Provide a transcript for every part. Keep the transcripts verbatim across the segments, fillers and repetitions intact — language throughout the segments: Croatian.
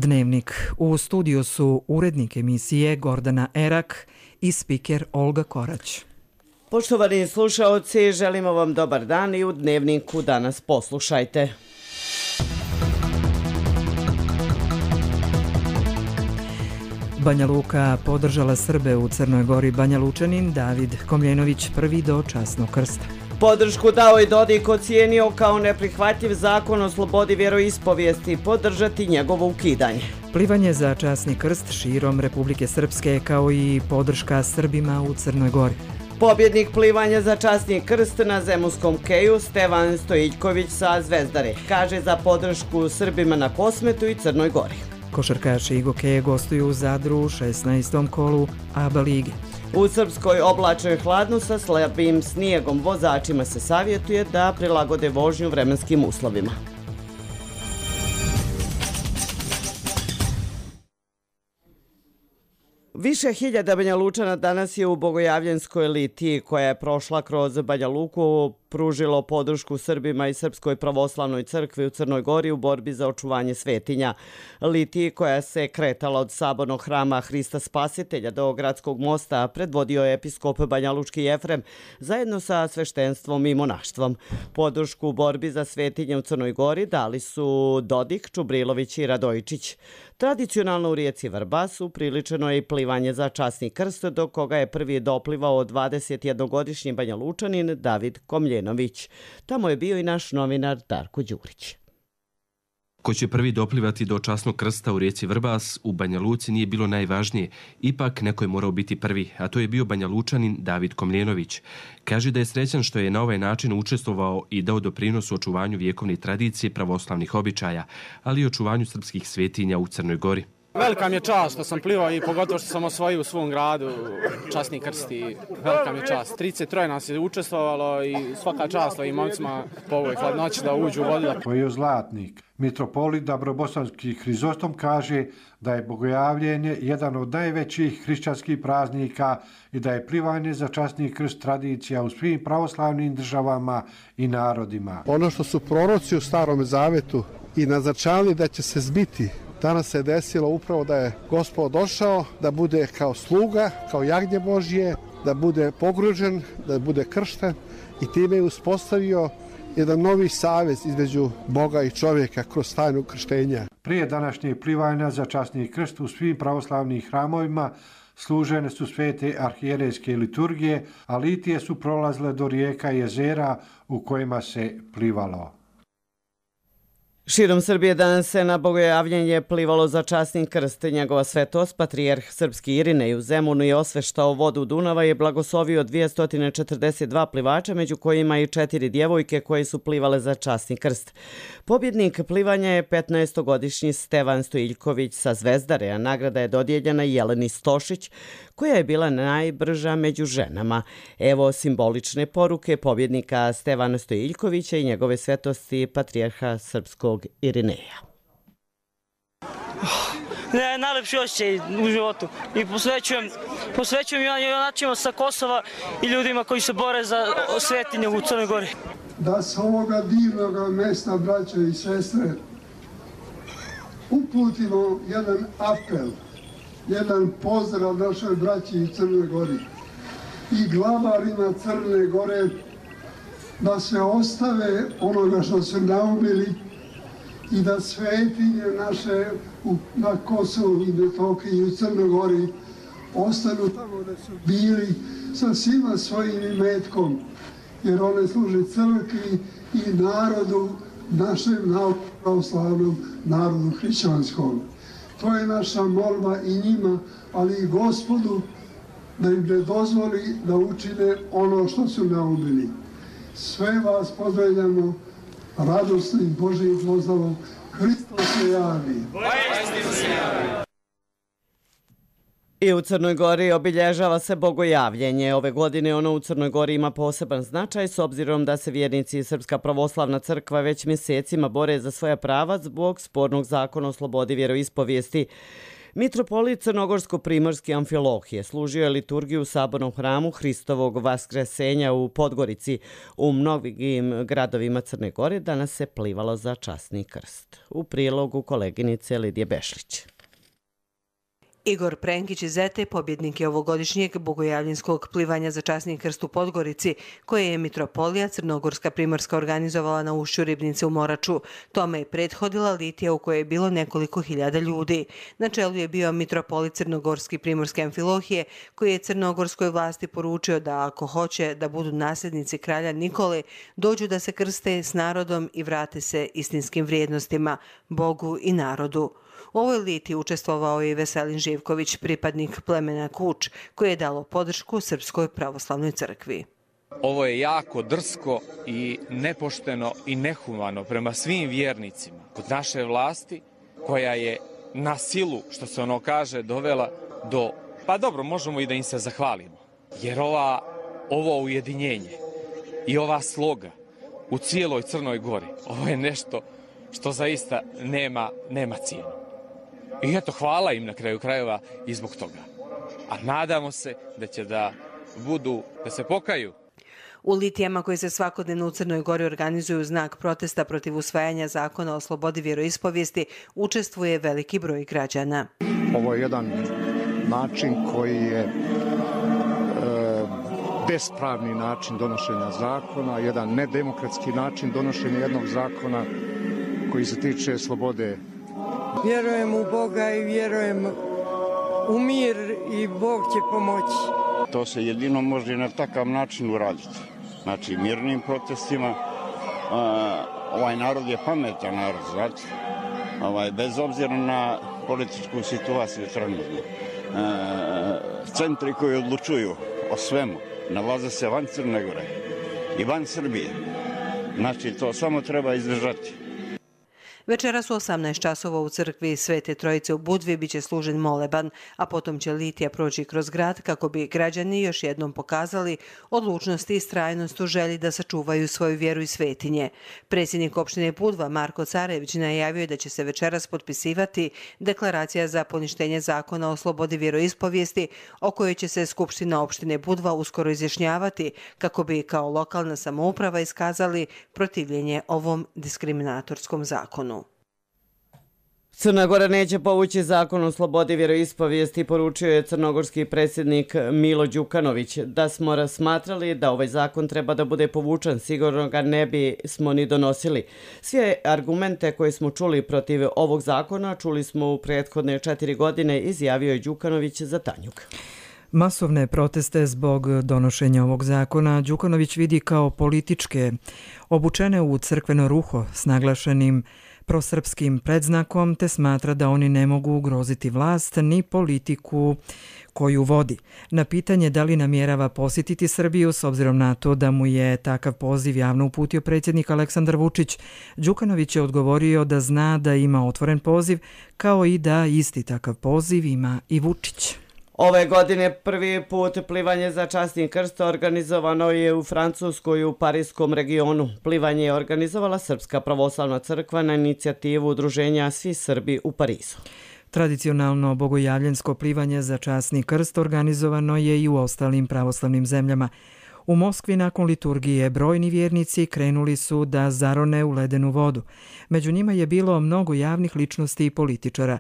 Dnevnik. U studiju su urednik emisije Gordana Erak i spiker Olga Korać. Poštovani slušaoci, želimo vam dobar dan i u Dnevniku danas poslušajte. Banja Luka podržala Srbe u Crnoj Gori. Banja Lučanin David Komljenović prvi do časnog krsta. Podršku dao i Dodik ocijenio kao neprihvatljiv zakon o slobodi vjeroispovijesti, podržati njegovo ukidanje. Plivanje za časni krst širom Republike Srpske kao i podrška Srbima u Crnoj Gori. Pobjednik plivanja za časni krst na Zemunskom keju Stevan Stojiljković sa Zvezdare kaže za podršku Srbima na Kosmetu i Crnoj Gori. Košarkaši Igokeje gostuju u Zadru u šesnaestom kolu A B A lige. U Srpskoj oblačno je hladno sa slabim snijegom. Vozačima se savjetuje da prilagode vožnju vremenskim uslovima. Više hiljada Banja Lučana danas je u Bogojavljenskoj litiji koja je prošla kroz Banja Luku pružilo podršku Srbima i Srpskoj pravoslavnoj crkvi u Crnoj Gori u borbi za očuvanje svetinja. Litiji koja se kretala od sabornog hrama Hrista Spasitelja do Gradskog mosta predvodio je episkop Banja Lučki Jefrem zajedno sa sveštenstvom i monaštvom. Podršku u borbi za svetinje u Crnoj Gori dali su Dodik, Čubrilović i Radojičić. Tradicionalno u rijeci Vrbas upriličeno je i plivanje za časni krst, do koga je prvi doplivao dvadesetjednogodišnji Banja Lučanin David Komljenović. Tamo je bio i naš novinar Darko Đurić. Ko će prvi doplivati do časnog krsta u rijeci Vrbas, u Banja Luci nije bilo najvažnije. Ipak neko je morao biti prvi, a to je bio Banja Lučanin David Komljenović. Kaže da je srećan što je na ovaj način učestvovao i dao doprinos u očuvanju vjekovne tradicije pravoslavnih običaja, ali i očuvanju srpskih svetinja u Crnoj Gori. Velika mi je čast što sam plivao i pogotovo što sam osvojio u svom gradu časni krst i velika mi je čast. trideset tri nas je učestvovalo i svaka čast ovim momcima po ovoj hladnoći da uđu u vodu. To je zlatnik. Mitropolit Dabrobosanski Hrizostom kaže da je bogojavljenje jedan od najvećih hrišćanskih praznika i da je plivanje za časni krst tradicija u svim pravoslavnim državama i narodima. Ono što su proroci u Starom Zavetu i naznačavali da će se zbiti, danas se desilo upravo da je Gospod došao, da bude kao sluga, kao jagnje Božje, da bude pogružen, da bude kršten i time je uspostavio jedan novi savez između Boga i čovjeka kroz tajnu krštenja. Prije današnjeg plivanja za časni krst u svim pravoslavnim hramovima služene su svete arhijerejske liturgije, a litije su prolazile do rijeka i jezera u kojima se plivalo. Širom Srbije danas se na bogojavljenje plivalo za časni krst. Njegova svetost, patrijarh srpski Irinej u Zemunu je osveštao vodu Dunava i blagoslovio dvjesto četrdeset dva plivača, među kojima i četiri djevojke koje su plivale za časni krst. Pobjednik plivanja je petnaestogodišnji Stevan Stojiljković sa Zvezdare, a nagrada je dodijeljena Jeleni Stošić, koja je bila najbrža među ženama. Evo simbolične poruke pobjednika Stevana Stojiljkovića i njegove svetosti patrijarha srpskog Irineja. Ne, najlepši osjećaj u životu i posvećujem, posvećujem junačima sa Kosova i ljudima koji se bore za svetinje u Crnoj Gori. Da s ovoga divnog mesta, braćo i sestre, uputimo jedan apel, jedan pozdrav našoj braći i Crnoj Gori i glavarima Crne Gore da se ostave onoga što su naumili i da svetinje naše na Kosovu i Metohiji i u Crnoj Gori ostanu tamo da su bili sa svima svojim imetkom, jer one služe crkvi i narodu, našem pravoslavnom narodu hrišćanskom. To je naša molba i njima, ali i Gospodu da im ne dozvoli da učine ono što su naumili. Sve vas pozdravljamo radosnim Božijim pozdravom. Hristos se javi. I u Crnoj Gori obilježava se bogojavljenje. Ove godine ono u Crnoj Gori ima poseban značaj s obzirom da se vjernici i Srpska pravoslavna crkva već mjesecima bore za svoja prava zbog spornog zakona o slobodi vjeroispovijesti. Mitropolit Crnogorsko-primorski Amfilohije služio je liturgiju u sabornom hramu Hristovog Vaskresenja u Podgorici. U mnogim gradovima Crne Gore danas se plivalo za časni krst. U prilogu koleginice Lidije Bešlić. Igor Prenkić iz Zete pobjednik je ovogodišnjeg bogojavljenskog plivanja za časni krst u Podgorici, koje je Mitropolija Crnogorska Primorska organizovala na ušću Ribnice u Moraču. Tome je prethodila litija u kojoj je bilo nekoliko hiljada ljudi. Na čelu je bio Mitropolit Crnogorski Primorske Amfilohije, koji je crnogorskoj vlasti poručio da ako hoće da budu nasljednici kralja Nikole, dođu da se krste s narodom i vrate se istinskim vrijednostima, Bogu i narodu. U ovoj liti učestvovao je i Veselin Živković, pripadnik plemena Kuč, koji je dalo podršku Srpskoj pravoslavnoj crkvi. Ovo je jako drsko i nepošteno i nehumano prema svim vjernicima kod naše vlasti, koja je na silu, što se ono kaže, dovela do, pa dobro, možemo i da im se zahvalimo, jer ova, ovo ujedinjenje i ova sloga u cijeloj Crnoj Gori, ovo je nešto što zaista nema, nema cijenu. I eto, hvala im na kraju krajeva i zbog toga. A nadamo se da će da budu, da se pokaju. U litijama koje se svakodnevno u Crnoj Gori organizuju znak protesta protiv usvajanja zakona o slobodi vjeroispovijesti učestvuje veliki broj građana. Ovo je jedan način koji je e, bespravni način donošenja zakona, jedan nedemokratski način donošenja jednog zakona koji se tiče slobode. Vjerujem u Boga i vjerujem u mir i Bog će pomoći. To se jedino može na takav način uraditi. Znači, mirnim protestima. A, ovaj narod je pametan narod, znate. Ovaj, bez obzira na političku situaciju trenutno. Centri koji odlučuju o svemu nalaze se van Crne Gore i van Srbije. Znači, to samo treba izdržati. Večeras u osamnaest časova u crkvi Svete Trojice u Budvi biće služen moleban, a potom će litija proći kroz grad kako bi građani još jednom pokazali odlučnost i istrajnost u želji da sačuvaju svoju vjeru i svetinje. Predsjednik opštine Budva Marko Carević najavio je da će se večeras potpisivati deklaracija za poništenje zakona o slobodi vjeroispovijesti, o kojoj će se Skupština opštine Budva uskoro izjašnjavati kako bi kao lokalna samouprava iskazali protivljenje ovom diskriminatorskom zakonu. Crna Gora neće povući zakon o slobodi vjeroispovijesti, poručio je crnogorski predsjednik Milo Đukanović. Da smo razmatrali da ovaj zakon treba da bude povučen, sigurno ga ne bi smo ni donosili. Sve argumente koje smo čuli protiv ovog zakona čuli smo u prethodne četiri godine, izjavio je Đukanović za Tanjug. Masovne proteste zbog donošenja ovog zakona Đukanović vidi kao političke, obučene u crkveno ruho s naglašenim prosrpskim predznakom, te smatra da oni ne mogu ugroziti vlast ni politiku koju vodi. Na pitanje da li namjerava posjetiti Srbiju s obzirom na to da mu je takav poziv javno uputio predsjednik Aleksandar Vučić, Đukanović je odgovorio da zna da ima otvoren poziv, kao i da isti takav poziv ima i Vučić. Ove godine prvi put plivanje za časni krst organizovano je u Francuskoj u Parijskom regionu. Plivanje je organizovala Srpska pravoslavna crkva na inicijativu udruženja Svi Srbi u Parizu. Tradicionalno bogojavljensko plivanje za časni krst organizovano je i u ostalim pravoslavnim zemljama. U Moskvi nakon liturgije brojni vjernici krenuli su da zarone u ledenu vodu. Među njima je bilo mnogo javnih ličnosti i političara.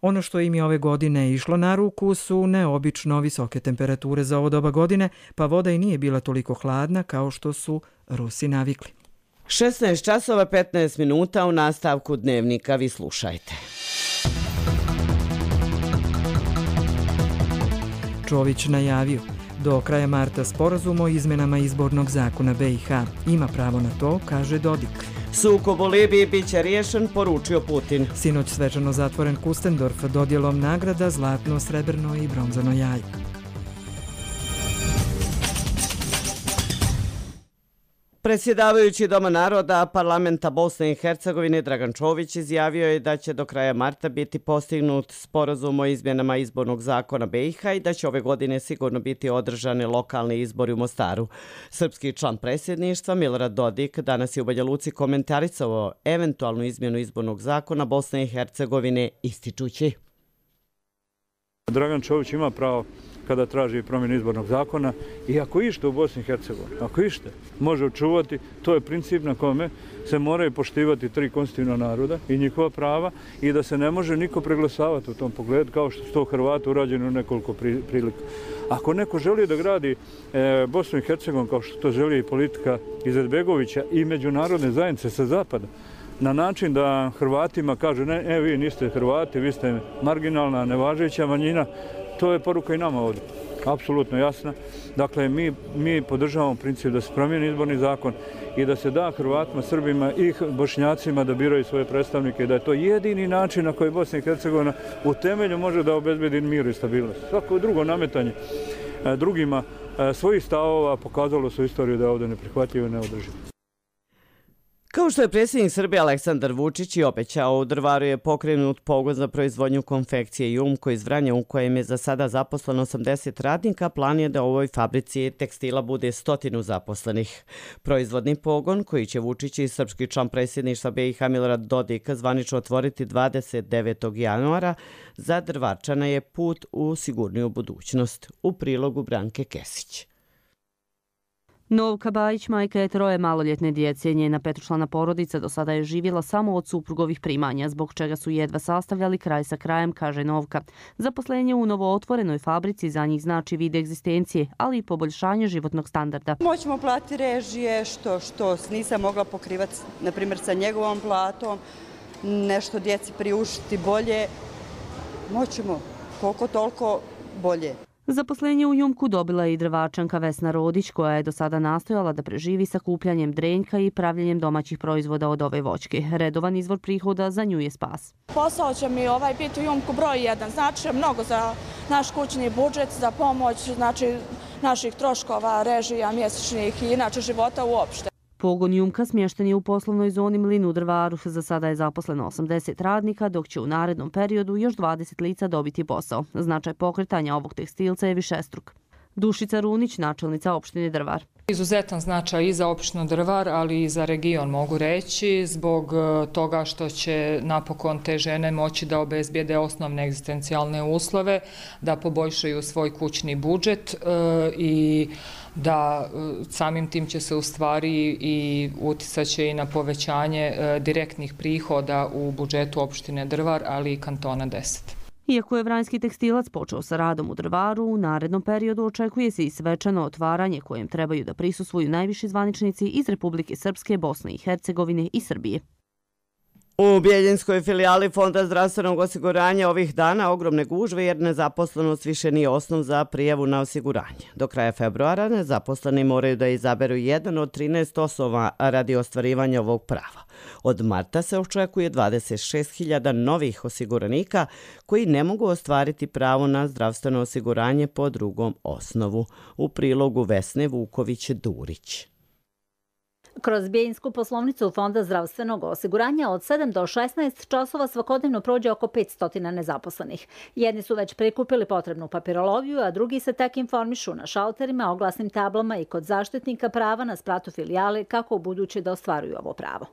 Ono što im je ove godine išlo na ruku su neobično visoke temperature za ovo doba godine, pa voda i nije bila toliko hladna kao što su Rusi navikli. šesnaest časova petnaest minuta u nastavku dnevnika, vi slušajte. Čović najavio. Do kraja marta sporazum o izmenama izbornog zakona B i H. Ima pravo na to, kaže Dodik. Sukob u Libiji biće riješen, poručio Putin. Sinoć svečano zatvoren Kustendorf dodjelom nagrada zlatno, srebrno i bronzano jaje. Predsjedavajući Doma naroda parlamenta Bosne i Hercegovine Dragan Čović izjavio je da će do kraja marta biti postignut sporazum o izmjenama izbornog zakona B i H i da će ove godine sigurno biti održani lokalni izbori u Mostaru. Srpski član predsjedništva Milorad Dodik danas je u Banja Luci komentarisao eventualnu izmjenu izbornog zakona Bosne i Hercegovine ističući. Dragan Čović ima pravo kada traži promjenu izbornog zakona i ako ište u Bosni i Hercegovini, ako ište može očuvati, to je princip na kome se moraju poštivati tri konstitutivna naroda i njihova prava i da se ne može niko preglasavati u tom pogledu kao što su to Hrvati urađeni u nekoliko prilika. Ako neko želi da gradi e, Bosnu i Hercegovinu kao što to želi i politika Izetbegovića i međunarodne zajednice sa zapada, na način da Hrvatima kaže ne, e, vi niste Hrvati, vi ste marginalna, nevažeća manjina, to je poruka i nama ovdje, apsolutno jasna. Dakle, mi, mi podržavamo princip da se promijeni izborni zakon i da se da Hrvatima, Srbima i Bošnjacima da biraju svoje predstavnike i da je to jedini način na koji Bosna i Hercegovina u temelju može da obezbedi mir i stabilnost. Svako drugo nametanje drugima svojih stavova pokazalo su istoriju da je ovdje neprihvatljivo i neodrživo. Kao što je predsjednik Srbije Aleksandar Vučić i obećao, u Drvaru je pokrenut pogon za proizvodnju konfekcije Jumko iz Vranja u kojem je za sada zaposleno osamdeset radnika. Plan je da u ovoj fabrici tekstila bude stotinu zaposlenih. Proizvodni pogon koji će Vučić i srpski član predsjedništva B i H Milorad Dodik zvanično otvoriti dvadeset devetog januara za Drvarčana je put u sigurniju budućnost. U prilogu Branke Kesić. Novka Bajić, majka je troje maloljetne djece. Njena petočlana porodica do sada je živjela samo od suprugovih primanja, zbog čega su jedva sastavljali kraj sa krajem, kaže Novka. Zaposlenje u novootvorenoj fabrici za njih znači vid egzistencije, ali i poboljšanje životnog standarda. Moćemo platiti režije, što, što nisam mogla pokrivati, na primjer, sa njegovom platom, nešto djeci priuštiti bolje. Moćemo koliko toliko bolje. Zaposlenje u Jumku dobila je i Drvačanka Vesna Rodić, koja je do sada nastojala da preživi sakupljanjem drenjka i pravljenjem domaćih proizvoda od ove voćke. Redovan izvor prihoda za nju je spas. Posao će mi ovaj biti u Jumku broj jedan. Znači mnogo za naš kućni budžet, za pomoć znači, naših troškova, režija, mjesečnih i inače života uopšte. Pogon Jumka smješten je u poslovnoj zoni Mlin u Drvaru. Za sada je zaposleno osamdeset radnika, dok će u narednom periodu još dvadeset lica dobiti posao. Značaj pokretanja ovog tekstilca je višestruk. Dušica Runić, načelnica opštine Drvar. Izuzetan značaj i za opštinu Drvar, ali i za region mogu reći, zbog toga što će napokon te žene moći da obezbijede osnovne egzistencijalne uslove, da poboljšaju svoj kućni budžet i da samim tim će se u stvari i uticaće i na povećanje direktnih prihoda u budžetu opštine Drvar, ali i kantona deset. Iako je vranjski tekstilac počeo sa radom u Drvaru, u narednom periodu očekuje se i svečano otvaranje kojem trebaju da prisustvuju najviši zvaničnici iz Republike Srpske, Bosne i Hercegovine i Srbije. U Bijeljinskoj filijali Fonda zdravstvenog osiguranja ovih dana ogromne gužve jer nezaposlenost više nije osnov za prijavu na osiguranje. Do kraja februara nezaposleni moraju da izaberu jedan od trinaest osnova radi ostvarivanja ovog prava. Od marta se očekuje dvadeset šest hiljada novih osiguranika koji ne mogu ostvariti pravo na zdravstveno osiguranje po drugom osnovu. U prilogu Vesne Vuković-Durić. Kroz Bijeljsku poslovnicu Fonda zdravstvenog osiguranja od sedam do šesnaest časova svakodnevno prođe oko petsto nezaposlenih. Jedni su već prikupili potrebnu papirologiju, a drugi se tek informišu na šalterima, oglasnim tablama i kod zaštitnika prava na spratu filijale kako u buduće da ostvaruju ovo pravo.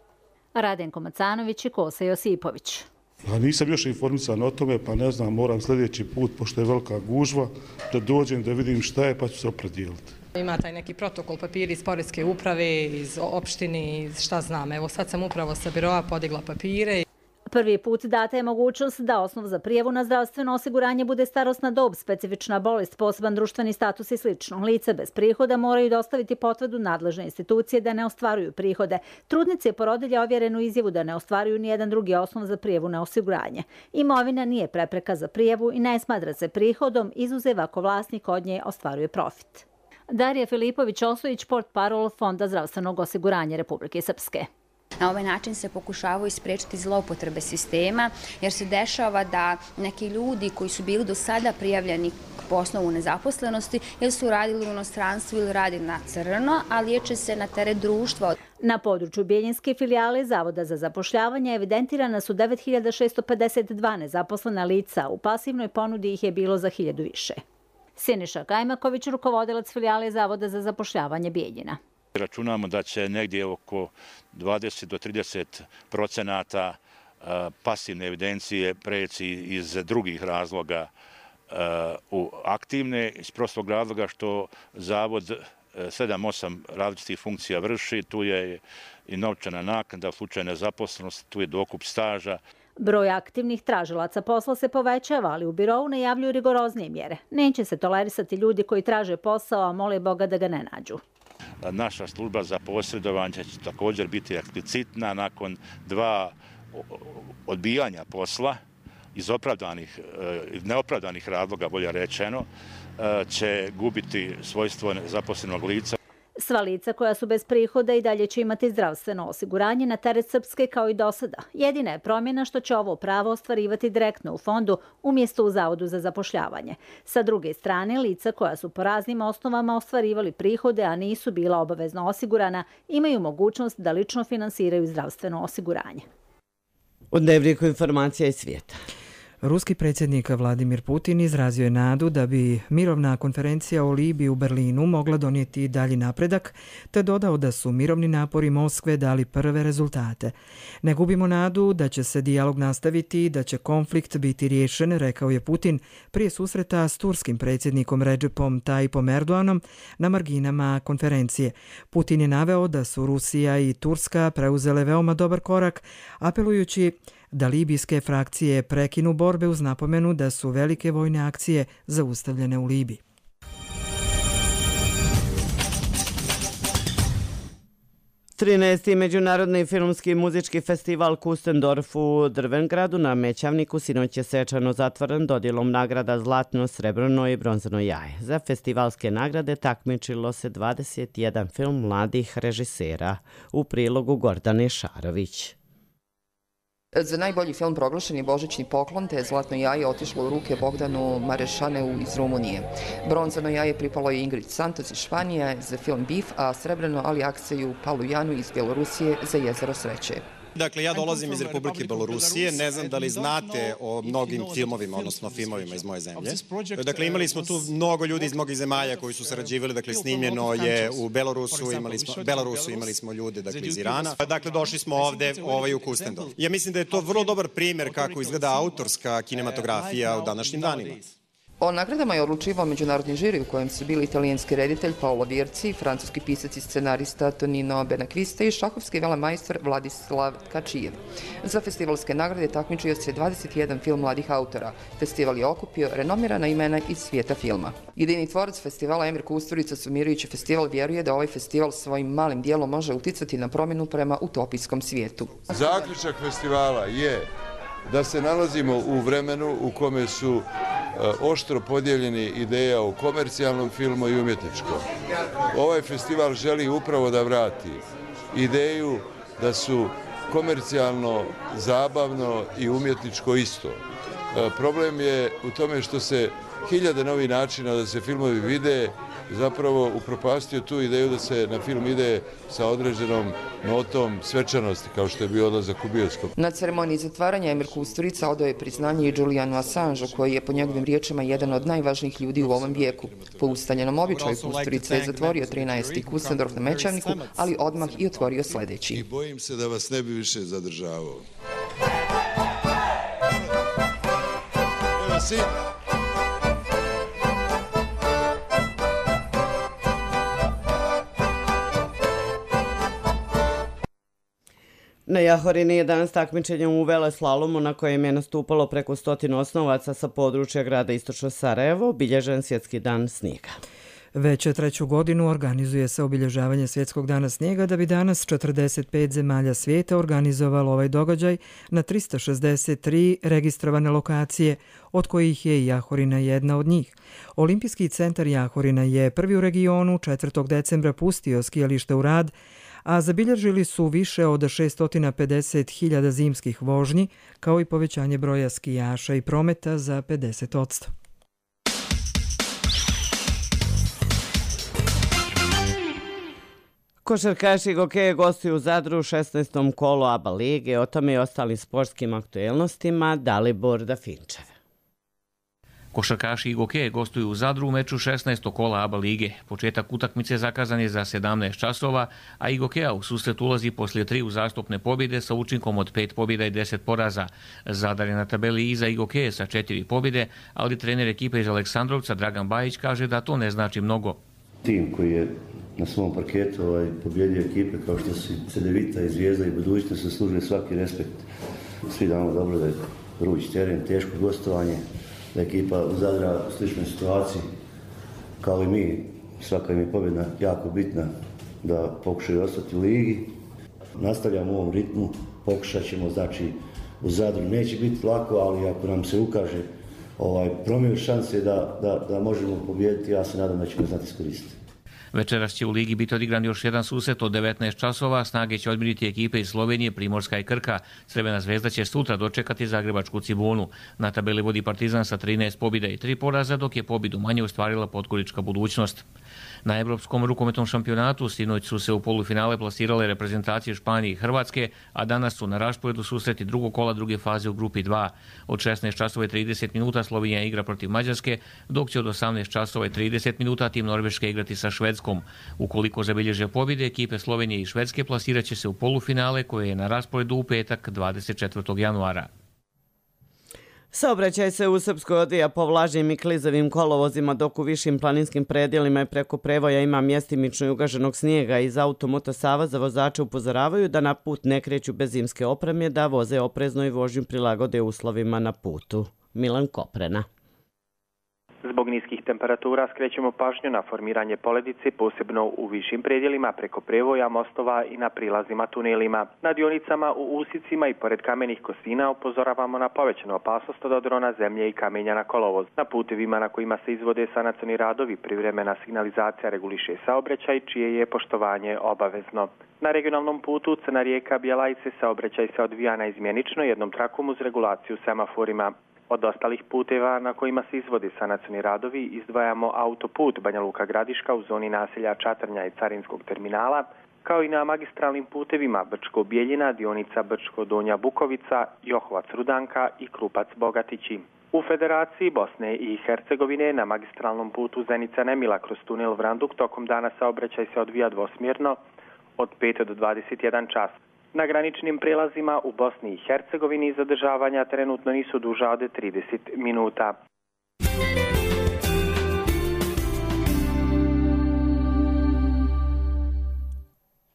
Radenko Macanović i Kosa Josipović. Ja nisam još informisan o tome, pa ne znam, moram sljedeći put, pošto je velika gužva, da dođem da vidim šta je, pa ću se opredijeliti. Ima taj neki protokol papiri iz Poreske uprave, iz opštine, iz šta znam. Evo sad sam upravo sa biroa podigla papire. Prvi put data je mogućnost da osnov za prijavu na zdravstveno osiguranje bude starosna dob, specifična bolest, poseban društveni status i slično. Lice bez prihoda moraju dostaviti potvrdu nadležne institucije da ne ostvaruju prihode. Trudnice i porodilje ovjerenu izjavu da ne ostvaruju nijedan drugi osnov za prijavu na osiguranje. Imovina nije prepreka za prijavu i ne smatra se prihodom, izuzev ako vlasnik od nje ostvaruje profit. Darija Filipović-Osojić, portparol Fonda zdravstvenog osiguranja Republike Srpske. Na ovaj način se pokušavaju isprečiti zloupotrebe sistema, jer se dešava da neki ljudi koji su bili do sada prijavljeni po osnovu nezaposlenosti ili su radili u inostranstvu ili radi na crno, a liječe se na teret društva. Na području Bijeljinske filijale Zavoda za zapošljavanje evidentirana su devet hiljada šessto pedeset dva nezaposlena lica, u pasivnoj ponudi ih je bilo za hiljadu više. Siniša Kajmaković, rukovodilac filijale Zavoda za zapošljavanje Bijeljina. Računamo da će negdje oko dvadeset do trideset procenata pasivne evidencije preći iz drugih razloga u aktivne iz prostog razloga što zavod sedam osam različitih funkcija vrši, tu je i novčana naknada u slučaju nezaposlenosti, tu je dokup staža. Broj aktivnih tražilaca posla se povećava, ali u birovu najavljuju rigoroznije mjere. Neće se tolerisati ljudi koji traže posao, a mole Boga da ga ne nađu. Naša služba za posredovanje će također biti eksplicitna nakon dva odbijanja posla iz opravdanih, neopravdanih razloga, bolje rečeno, će gubiti svojstvo zaposlenog lica. Sva lica koja su bez prihoda i dalje će imati zdravstveno osiguranje na teret Srpske kao i do sada. Jedina je promjena što će ovo pravo ostvarivati direktno u fondu umjesto u Zavodu za zapošljavanje. Sa druge strane, lica koja su po raznim osnovama ostvarivali prihode, a nisu bila obavezno osigurana, imaju mogućnost da lično finansiraju zdravstveno osiguranje. U Dnevniku informacija iz svijeta. Ruski predsjednik Vladimir Putin izrazio je nadu da bi mirovna konferencija o Libiji u Berlinu mogla donijeti dalji napredak, te dodao da su mirovni napori Moskve dali prve rezultate. Ne gubimo nadu da će se dijalog nastaviti i da će konflikt biti riješen, rekao je Putin prije susreta s turskim predsjednikom Recepom Tayyipom Erdoganom na marginama konferencije. Putin je naveo da su Rusija i Turska preuzele veoma dobar korak, apelujući da libijske frakcije prekinu borbe uz napomenu da su velike vojne akcije zaustavljene u Libiji. trinaesti. Međunarodni filmski i muzički festival Kustendorf u Drvengradu na Mećavniku sinoć je svečano zatvoren dodjelom nagrada Zlatno, srebrno i bronzano jaje. Za festivalske nagrade takmičilo se dvadeset jedan film mladih režisera. U prilogu Gordane Šarović. Za najbolji film proglašen je Božićni poklon, te je Zlatno jaje otišlo u ruke Bogdanu Marešaneu iz Rumunije. Bronzano jaje pripalo je Ingrid Santos iz Španije za film Bif, a srebrno Ali Akseju Palujanu iz Bjelorusije za Jezero sreće. Dakle, ja dolazim iz Republike Belorusije, ne znam da li znate o mnogim filmovima, odnosno filmovima iz moje zemlje. Dakle, imali smo tu mnogo ljudi iz mnogih zemalja koji su sarađivali, dakle, snimljeno je u Belorusu, imali smo, Belorusu imali smo ljude, dakle, iz Irana. Dakle, došli smo ovde ovaj, u Kustendorf. Ja mislim da je to vrlo dobar primjer kako izgleda autorska kinematografija u današnjim danima. O nagradama je odlučivao međunarodni žiri u kojem su bili italijanski reditelj Paolo Virci, francuski pisac i scenarista Tonino Benakviste i šahovski velemajstor Vladislav Kačijev. Za festivalske nagrade takmičio se dvadeset jedan film mladih autora. Festival je okupio renomirana imena iz svijeta filma. Jedini tvorac festivala Emir Kusturica sumirajući festival vjeruje da ovaj festival svojim malim dijelom može uticati na promjenu prema utopijskom svijetu. Zaključak festivala je da se nalazimo u vremenu u kome su oštro podijeljeni ideja o komercijalnom filmu i umjetničkom. Ovaj festival želi upravo da vrati ideju da su komercijalno, zabavno i umjetničko isto. Problem je u tome što se hiljade novih načina da se filmovi vide zapravo upropastio tu ideju da se na film ide sa određenom notom svečanosti, kao što je bio odlazak u bioskop. Na ceremoniji zatvaranja Emir Kusturica odao je priznanje i Julianu Assangeu, koji je po njegovim riječima jedan od najvažnijih ljudi u ovom vijeku. Po ustaljenom običaju Kusturica je zatvorio trinaesti Kustendorf na Mećavniku, ali odmah i otvorio sljedeći. I bojim se da vas ne bi više zadržavao. Na Jahorini je danas takmičenje u veleslalomu na kojem je nastupalo preko stotinu osnovaca sa područja grada Istočno Sarajevo, obilježen svjetski dan snijega. Već treću godinu organizuje se obilježavanje svjetskog dana snijega da bi danas četrdeset pet zemalja svijeta organizovalo ovaj događaj na trista šezdeset tri registrovane lokacije, od kojih je i Jahorina jedna od njih. Olimpijski centar Jahorina je prvi u regionu četvrtog decembra pustio skijalište u rad, a zabilježili su više od šesto pedeset hiljada zimskih vožnji, kao i povećanje broja skijaša i prometa za pedeset posto. Košarkaši Gokeje gostuju u Zadru u šesnaestom kolu A B A lige. O tome i ostalim sportskim aktuelnostima Dalibor Dafinčev. Košarkaši Igokeje gostuju u Zadru u meču šesnaestog kola A B A lige. Početak utakmice zakazan je za sedamnaest časova, a Igokeja u susret ulazi poslije tri uzastopne pobjede sa učinkom od pet pobjeda i deset poraza. Zadar je na tabeli iza Igokeje sa četiri pobjede, ali trener ekipe iz Aleksandrovca Dragan Bajić kaže da to ne znači mnogo. Tim koji je na svom parketu ovaj, pobjedio ekipe kao što su Cedevita i Zvijezda i Budućnost zaslužili svaki respekt. Svi damo dobro da je vruć teren, teško gostovanje, da je ekipa Zadra u sličnoj situaciji kao i mi. Svaka im je pobjeda jako bitna da pokušaju ostati u ligi. Nastavljamo u ovom ritmu, pokušat ćemo, znači u Zadru neće biti lako, ali ako nam se ukaže ovaj, promjer šanse da, da, da možemo pobijediti, ja se nadam da ćemo znati iskoristiti. Večeras će u ligi biti odigran još jedan susret od devetnaest časova. Snage će odmiriti ekipe iz Slovenije, Primorska i Krka. Crvena zvezda će sutra dočekati Zagrebačku Cibonu. Na tabeli vodi Partizan sa trinaest pobjeda i tri poraza, dok je pobjedu manje ostvarila Podgorička Budućnost. Na Evropskom rukometnom šampionatu sinoć su se u polufinale plasirale reprezentacije Španije i Hrvatske, a danas su na rasporedu susreti drugog kola druge faze u grupi dva. Od šesnaest časova i trideset minuta Slovenija igra protiv Mađarske, dok će od osamnaest časova i trideset minuta tim Norveške igrati sa Švedskom. Ukoliko zabilježe pobjede, ekipe Slovenije i Švedske plasirat će se u polufinale koje je na rasporedu u petak dvadeset četvrtog januara. Saobraćaj se u Srpskoj odvija po vlažnim i klizavim kolovozima, dok u višim planinskim predjelima i preko prevoja ima mjestimično i ugaženog snijega. Iz Automoto Saveza vozače upozoravaju da na put ne kreću bez zimske opreme, da voze oprezno i vožnju prilagode uslovima na putu. Milan Koprena. Zbog niskih temperatura skrećemo pažnju na formiranje poledice, posebno u višim predjelima preko prevoja, mostova i na prilazima tunelima. Na dionicama, u usicima i pored kamenih kosina upozoravamo na povećanu opasnost od odrona zemlje i kamenja na kolovoz. Na putevima na kojima se izvode sanacioni radovi, privremena signalizacija reguliše saobraćaj, čije je poštovanje obavezno. Na regionalnom putu Crna rijeka Bjelajce saobraćaj se odvija naizmjenično jednom trakom uz regulaciju semaforima. Od ostalih puteva na kojima se izvode sanacioni radovi izdvajamo autoput Banja Luka Gradiška u zoni naselja Čatrnja i Carinskog terminala, kao i na magistralnim putevima Brčko Bijeljina, dionica Brčko Donja Bukovica, Johovac Rudanka i Krupac Bogatići. U Federaciji Bosne i Hercegovine na magistralnom putu Zenica Nemila kroz tunel Vranduk tokom dana saobraćaj se odvija dvosmjerno od pet do dvadeset jedan čas. Na graničnim prelazima u Bosni i Hercegovini zadržavanja trenutno nisu duža od trideset minuta.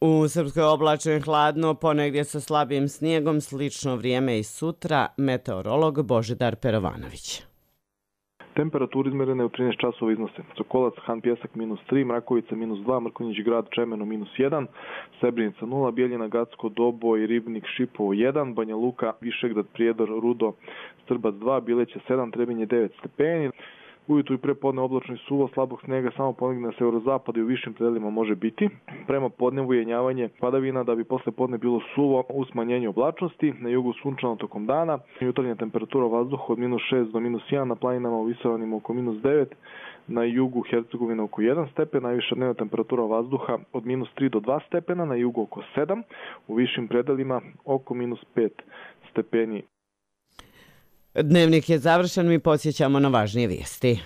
U Srpskoj oblačno i hladno, ponegdje sa slabim snijegom, slično vrijeme i sutra, meteorolog Božidar Perovanović. Temperature izmerene u trinaest časova iznose Sokolac, Han Pjesak minus tri, Mrakovica minus dva, Mrkonjić grad Čemeno minus jedan, Srebrenica nula, Bijeljina, Gacko, Doboj, Ribnik, Šipovo jedan, Banja Luka, Višegrad, Prijedor, Rudo, Strbac dva, Bileće sedam, Trebinje devet stepeni. Ujutru i prepodne oblačno i suvo, slabog snega samo ponegdje na severozapadu i u višim predelima može biti. Prema podnevu jenjavanje padavina da bi posle podne bilo suvo u smanjenju oblačnosti, na jugu sunčano tokom dana. Jutarnja temperatura vazduha od minus šest do minus jedan, na planinama u Visoravnima oko minus devet, na jugu Hercegovina oko jedan stepen, najviša dnevna temperatura vazduha od minus tri do dva stepena, na jugu oko sedam, u višim predelima oko minus pet stepeni. Dnevnik je završen, mi podsjećamo na važnije vijesti.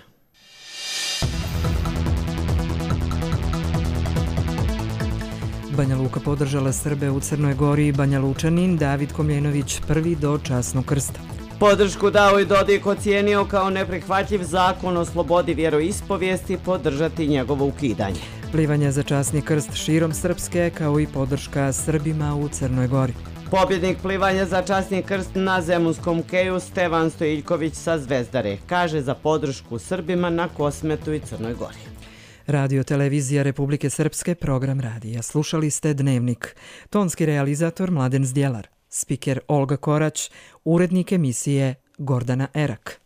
Banja Luka podržala Srbe u Crnoj Gori i Banja Lučanin David Komljenović prvi do časnog krsta. Podršku dao i Dodik ocijenio kao neprihvatljiv zakon o slobodi vjeroispovijesti, podržati njegovo ukidanje. Plivanje za časni krst širom Srpske kao i podrška Srbima u Crnoj Gori. Pobjednik plivanja za časni krst na Zemunskom keju Stevan Stojiljković sa Zvezdare kaže za podršku Srbima na Kosmetu i Crnoj Gori. Radio Televizija Republike Srpske, program radija. Slušali ste Dnevnik. Tonski realizator Mladen Zdjelar, spiker Olga Korać, urednik emisije Gordana Erak.